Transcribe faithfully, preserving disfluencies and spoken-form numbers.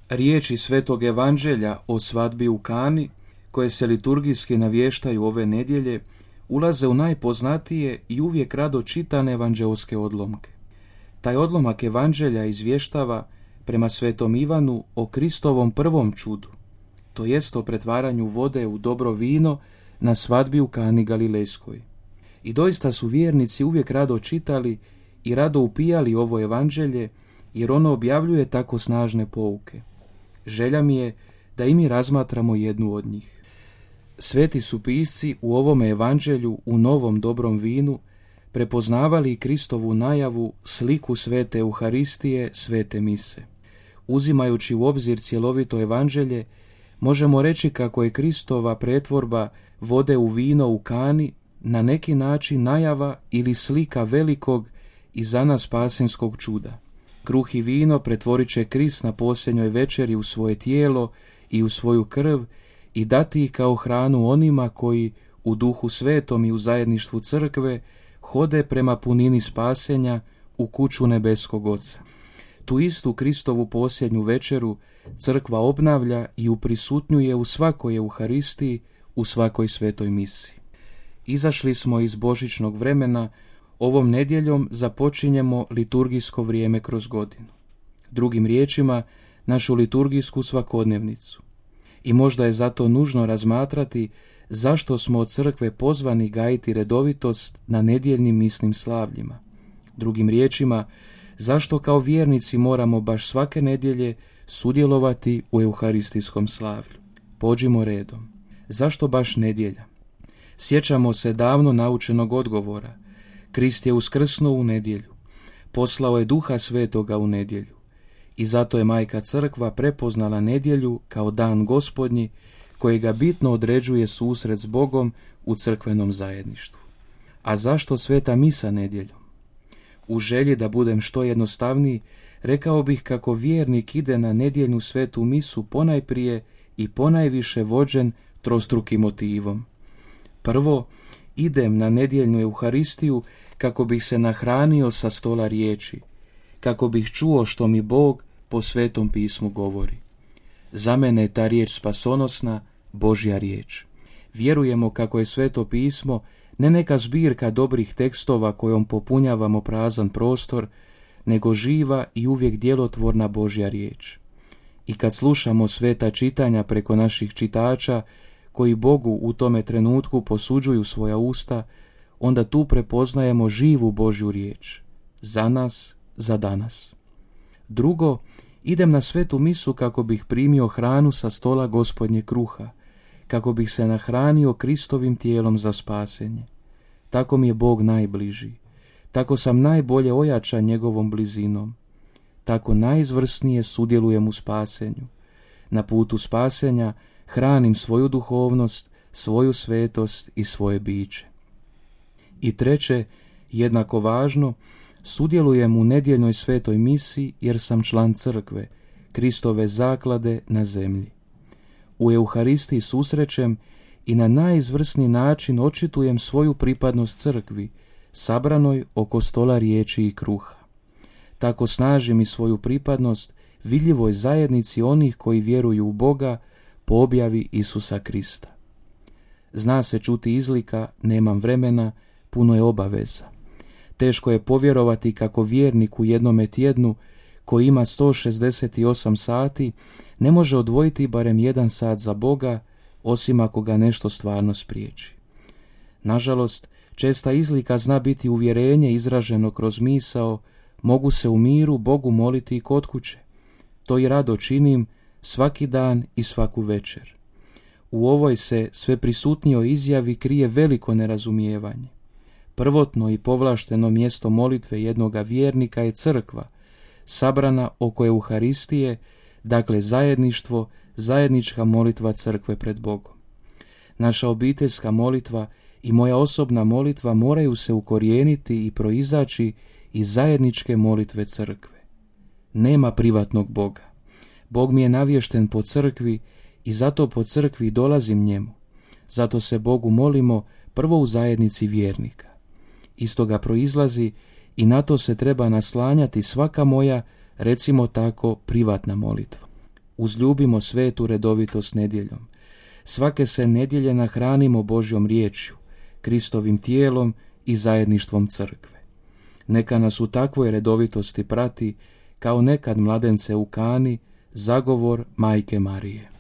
Riječi Svetog Evanđelja o svadbi u Kani, koje se liturgijski navještaju ove nedjelje, ulaze u najpoznatije i uvijek rado čitane evanđeoske odlomke. Taj odlomak Evanđelja izvještava prema Svetom Ivanu o Kristovom prvom čudu, to jest o pretvaranju vode u dobro vino na svadbi u Kani Galilejskoj. I doista su vjernici uvijek rado čitali i rado upijali ovo Evanđelje, jer ono objavljuje tako snažne pouke. Želja mi je da i mi razmatramo jednu od njih. Sveti su pisci u ovome Evanđelju u novom dobrom vinu prepoznavali Kristovu najavu, sliku svete Euharistije, svete mise. Uzimajući u obzir cjelovito Evanđelje, možemo reći kako je Kristova pretvorba vode u vino u Kani na neki način najava ili slika velikog i za nas spasenskog čuda. Kruh i vino pretvorit će Krist na posljednjoj večeri u svoje tijelo i u svoju krv i dati ih kao hranu onima koji u duhu svetom i u zajedništvu crkve hode prema punini spasenja u kuću nebeskog Oca. Tu istu Kristovu posljednju večeru crkva obnavlja i uprisutnjuje u svakoj Euharistiji, u svakoj svetoj misi. Izašli smo iz božićnog vremena, ovom nedjeljom započinjemo liturgijsko vrijeme kroz godinu. Drugim riječima, našu liturgijsku svakodnevnicu. I možda je zato nužno razmatrati zašto smo od crkve pozvani gajiti redovitost na nedjeljnim misnim slavljima. Drugim riječima, zašto kao vjernici moramo baš svake nedjelje sudjelovati u euharistijskom slavlju. Pođimo redom. Zašto baš nedjelja? Sjećamo se davno naučenog odgovora. Krist je uskrsnuo u nedjelju. Poslao je Duha Svetoga u nedjelju. I zato je Majka Crkva prepoznala nedjelju kao dan Gospodnji, kojega bitno određuje susret s Bogom u crkvenom zajedništvu. A zašto sveta misa nedjeljom? U želji da budem što jednostavniji, rekao bih kako vjernik ide na nedjeljnu svetu misu ponajprije i ponajviše vođen trostrukim motivom. Prvo, idem na nedjeljnu Euharistiju kako bih se nahranio sa stola riječi, kako bih čuo što mi Bog po Svetom pismu govori. Za mene je ta riječ spasonosna, Božja riječ. Vjerujemo kako je Sveto pismo ne neka zbirka dobrih tekstova kojom popunjavamo prazan prostor, nego živa i uvijek djelotvorna Božja riječ. I kad slušamo sveta čitanja preko naših čitača, koji Bogu u tome trenutku posuđuju svoja usta, onda tu prepoznajemo živu Božju riječ. Za nas, za danas. Drugo, idem na svetu misu kako bih primio hranu sa stola Gospodnje kruha, kako bih se nahranio Kristovim tijelom za spasenje. Tako mi je Bog najbliži. Tako sam najbolje ojačan njegovom blizinom. Tako najizvrsnije sudjelujem u spasenju. Na putu spasenja hranim svoju duhovnost, svoju svetost i svoje biće. I treće, jednako važno, sudjelujem u nedjeljnoj svetoj misi jer sam član crkve, Kristove zaklade na zemlji. U Euharistiji susrećem i na najizvrsniji način očitujem svoju pripadnost crkvi, sabranoj oko stola riječi i kruha. Tako snažim i svoju pripadnost vidljivoj zajednici onih koji vjeruju u Boga po objavi Isusa Krista. Zna se čuti izlika, nemam vremena, puno je obaveza. Teško je povjerovati kako vjernik u jednome tjednu, koji ima sto šezdeset osam sati, ne može odvojiti barem jedan sat za Boga, osim ako ga nešto stvarno spriječi. Nažalost, česta izlika zna biti uvjerenje izraženo kroz misao, mogu se u miru Bogu moliti i kod kuće. To i rado činim svaki dan i svaku večer. U ovoj se sve prisutnijoj izjavi krije veliko nerazumijevanje. Prvotno i povlašteno mjesto molitve jednoga vjernika je crkva, sabrana oko Euharistije, dakle zajedništvo, zajednička molitva crkve pred Bogom. Naša obiteljska molitva i moja osobna molitva moraju se ukorijeniti i proizaći iz zajedničke molitve crkve. Nema privatnog Boga. Bog mi je navješten po crkvi i zato po crkvi dolazim njemu. Zato se Bogu molimo prvo u zajednici vjernika. Iz toga proizlazi i na to se treba naslanjati svaka moja, recimo tako, privatna molitva. uzljubimo svetu redovitost nedjeljom. Svake se nedjelje nahranimo Božjom riječju, Kristovim tijelom i zajedništvom crkve. Neka nas u takvoj redovitosti prati, kao nekad mladence u Kani, zagovor Majke Marije.